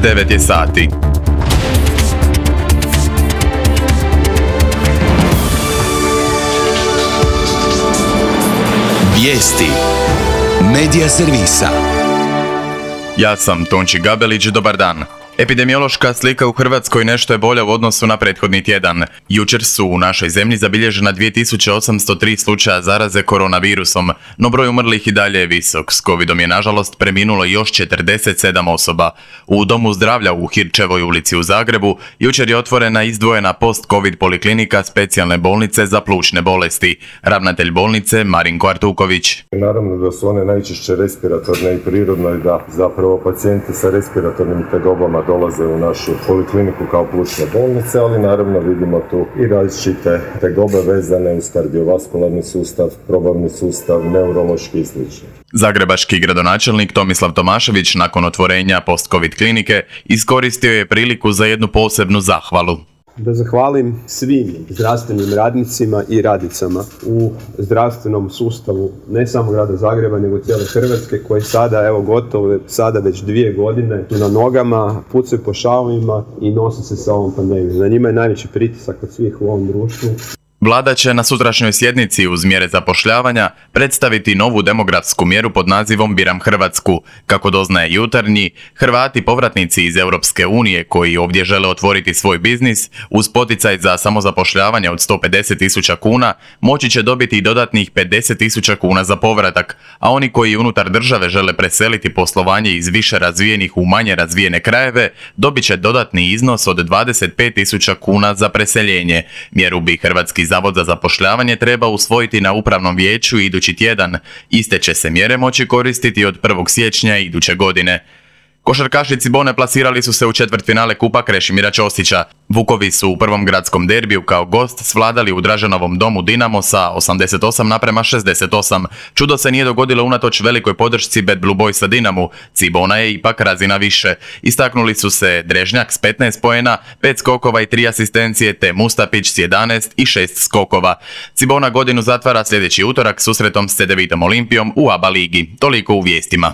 9 je sati. Vijesti Medija servisa. Ja sam Tonči Gabelić, dobar dan. Epidemiološka slika u Hrvatskoj nešto je bolja u odnosu na prethodni tjedan. Jučer su u našoj zemlji zabilježena 2803 slučaja zaraze koronavirusom, no broj umrlih i dalje je visok. S covidom je nažalost preminulo još 47 osoba. U Domu zdravlja u Hirčevoj ulici u Zagrebu jučer je otvorena izdvojena post-covid poliklinika specijalne bolnice za plućne bolesti. Ravnatelj bolnice Marinko Artuković. Naravno da su one najčešće respiratorne i prirodno je da zapravo pacijenti sa respiratornim tegobama dolaze u našu polikliniku kao plućne bolnice, ali naravno vidimo tu i različite tegobe vezane uz kardiovaskularni sustav, probavni sustav, neurološki i sl. Zagrebački gradonačelnik Tomislav Tomašević nakon otvorenja post-covid klinike iskoristio je priliku za jednu posebnu zahvalu. Da zahvalim svim zdravstvenim radnicima i radnicama u zdravstvenom sustavu, ne samo grada Zagreba, nego cijele Hrvatske, koji sada, evo gotovo, sada već 2 godine su na nogama, pucaju po šavovima i nose se sa ovom pandemijom. Na njima je najveći pritisak od svih u ovom društvu. Vlada će na sutrašnjoj sjednici uz mjere zapošljavanja predstaviti novu demografsku mjeru pod nazivom Biram Hrvatsku. Kako doznaje Jutarnji, Hrvati povratnici iz Europske unije koji ovdje žele otvoriti svoj biznis uz poticaj za samozapošljavanje od 150.000 kuna moći će dobiti i dodatnih 50.000 kuna za povratak, a oni koji unutar države žele preseliti poslovanje iz više razvijenih u manje razvijene krajeve dobit će dodatni iznos od 25.000 kuna za preseljenje. Mjeru bi Hrvatski Zavod za zapošljavanje treba usvojiti na upravnom vijeću idući tjedan. Iste će se mjere moći koristiti od 1. siječnja iduće godine. Košarkaši Cibone plasirali su se u četvrtfinale Kupa Krešimira Ćosića. Vukovi su u prvom gradskom derbiju kao gost svladali u Draženovom domu Dinamo sa 88:68. Čudo se nije dogodilo unatoč velikoj podršci Bad Blue Boysa Dinamu. Cibona je ipak razina više. Istaknuli su se Drežnjak s 15 poena, 5 skokova i 3 asistencije, te Mustapić s 11 i 6 skokova. Cibona godinu zatvara sljedeći utorak susretom s C9 Olimpijom u ABA ligi. Toliko u vijestima.